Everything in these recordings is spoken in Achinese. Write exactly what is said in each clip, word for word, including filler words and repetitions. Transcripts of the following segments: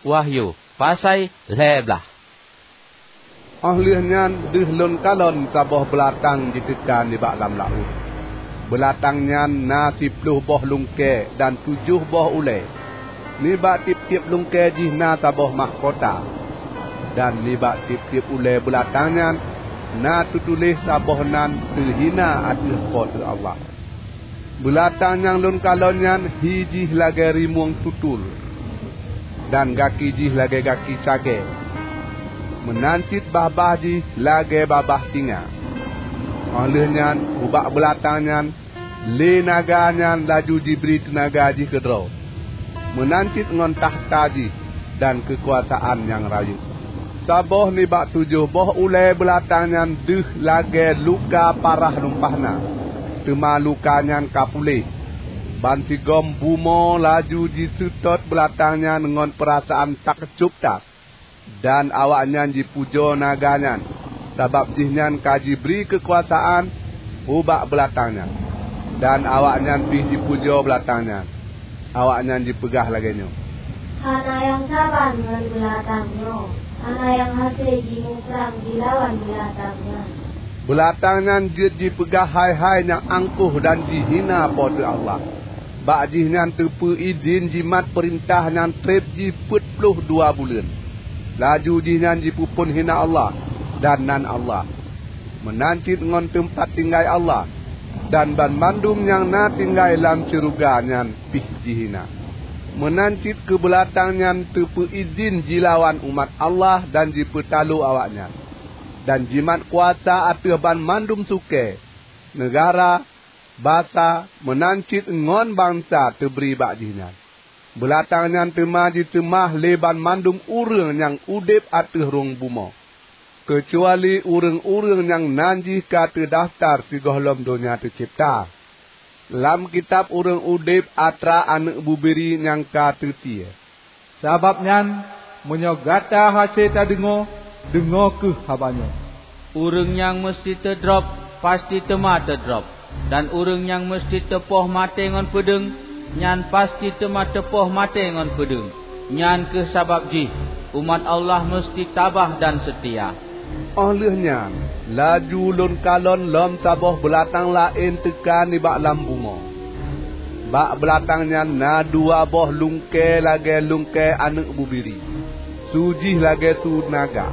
Wahyu, pasai lhée blaih. Óh lheueh nyan deuh lôn kalon saboh beulatang jiteuka nibak lam laôt. Beulatang nyan na siploh boh lungkée dan tujoh boh ulée. Nibak tieb-tieb lungkée jih na saboh mahkota, dan nibak tieb-tieb ulée beulatang nyan na teutuléh saboh nan teuhina ateueh Po teu Allah. Beulatang nyang lôn kalon nyan hi jih lagée rimueng tutul, dan gaki jih lagée gaki cagée. Meunan cit babah jih lagée babah singa. Óh lheueh nyan ubak beulatang nyan lé naga nyan laju jibri teunaga jih keudroe, meunan cit ngon takhta jih dan keukuasaan nyang rayeuk. Saboh nibak tujoh boh ulée beulatang nyan deuh lagée luka parah lumpah na, teuma luka nyan ka puléh. Bansigom bumoe laju jiseutôt beulatang nyan ngon peurasaan takjub that. Dan awaknyan jipujoe naga nyan, sabab jihnyan ka jibri keukuasaan ubak beulatang nyan. Dan awaknyan pih jipujoe beulatang nyan. Awaknyan jipeugah lagée nyoe, "Hana nyang saban ngon beulatang nyoe, hana nyang hase jimuprang jilawan beulatang nyan." Beulatang nyan jeuet jipeugah hai-hai nyang angkoh dan jihina Po teu Allah. Bak jihnyan teupeu idhin jimat peurintah nyang treb jih peuet ploh dua buleuen. Laju jihnyan jipeuphon hina Allah dan nan Allah, meunan cit ngon teumpat tinggai Allah, dan banmandum nyang na tinggai lam syeuruga nyan pih jihina. Meunan cit keu beulatang nyan teupeu idhin jilawan umat Allah dan jipeutalo awaknyan, dan jimat kuasa ateueh banmandum sukée, neugara, basa, meunan cit ngon bansa teubri bak jihnyan. Beulatang nyan teuma jiseumah lé banmandum ureuëng nyang udeb ateueh rhueng bumoe, keucuali ureuëng-ureuëng nyang nan jih ka teudafeutar sigohlom donya teucebta lam kitab ureuëng udeb atra Aneuëk Bubiri nyang ka teusie. Sabab nyan, meunyoe gata hase tadeungoe, deungoe kheueh haba nyoe. Ureuëng nyang meuseuti teudrob, pasti teuma teudrob, dan ureuëng nyang meuseuti teupoh maté ngon peudeueng, nyan pasti teuma teupoh maté ngon peudeueng. Nyan kheueh sabab jih umat Allah meuseuti tabah dan seutia. Óh lheueh nyan, laju lôn kalon lom saboh beulatang laén teuka nibak lam bumoe. Bak beulatang nyan na dua boh lungkée lagée lungkée Aneuëk Bubiri, su jih lagée su naga.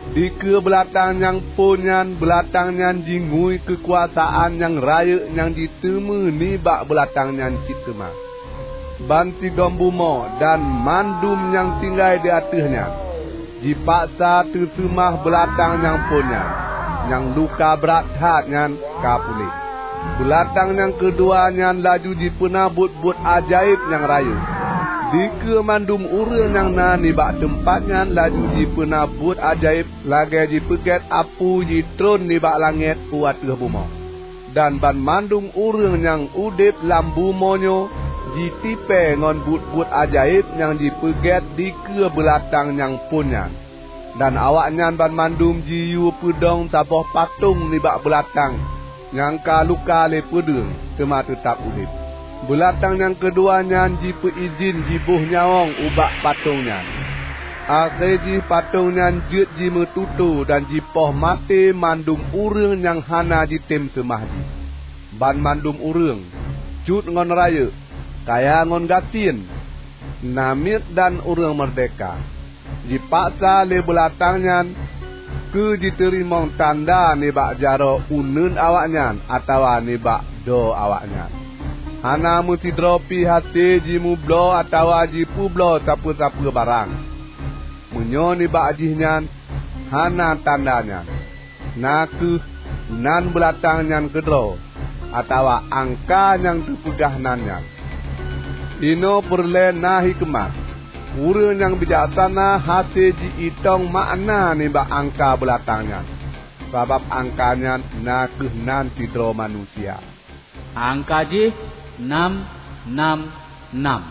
Dikeue beulatang nyang phon nyan, beulatang nyan jingui keukuasaan nyang rayeuk nyang jiteumé nibak beulatang nyan cit teuma. Bansigom bumoe dan mandum nyang tinggai di ateueh nyan jipaksa teuseumah beulatang nyang phon nyan, nyang luka brat that nyan ka puléh. Beulatang nyang keudua nyan laju jipeuna buet-buet ajaéb nyang rayeuk. Dikeue mandum ureuëng nyang na nibak teumpat nyan laju jipeuna buet ajaéb lagée jipeugét apui jitron nibak langét u ateueh bumoe. Dan banmandum ureuëng nyang udeb lam bumoe nyoe jitipée ngon buet-buet ajaéb nyang jipeugét dikeue beulatang nyang phon nyan. Dan awaknyan banmandum jiyue peudong saboh patong nibak beulatang nyang ka luka lé peudeueng, teuma teutab udeb. Beulatang nyang keudua nyan jipeuidhin jiboh nyawöng ubak patong nyan. Akhé jih patong nyan jeuet jimeututoe dan jipoh maté mandum ureuëng nyang hana jitem seumah jih. Banmandum ureuëng, cut ngon rayeuk, kaya ngon gasien, namiet dan ureuëng meurdéhka, jipaksa lé beulatang nyan keu jiteurimong tanda nibak jaroe uneuen awaknyan atawa nibak droe awaknyan. Hana meusidroe pih hase jimeubloe atawa jipeubloe sapeue-sapeue barang, meunyoe nibak jih nyan hana tanda nyan, na kheueh nan beulatang nyan keudroe, atawa angka nyang teupeugah nan nyan. Inoe peureulée na hikeumat. Ureuëng nyang bijaksana hase ji-itong makna nibak angka beulatang nyan, sabab angka nyan na kheueh nan sidroe manusia. Angka jih nam nam nam.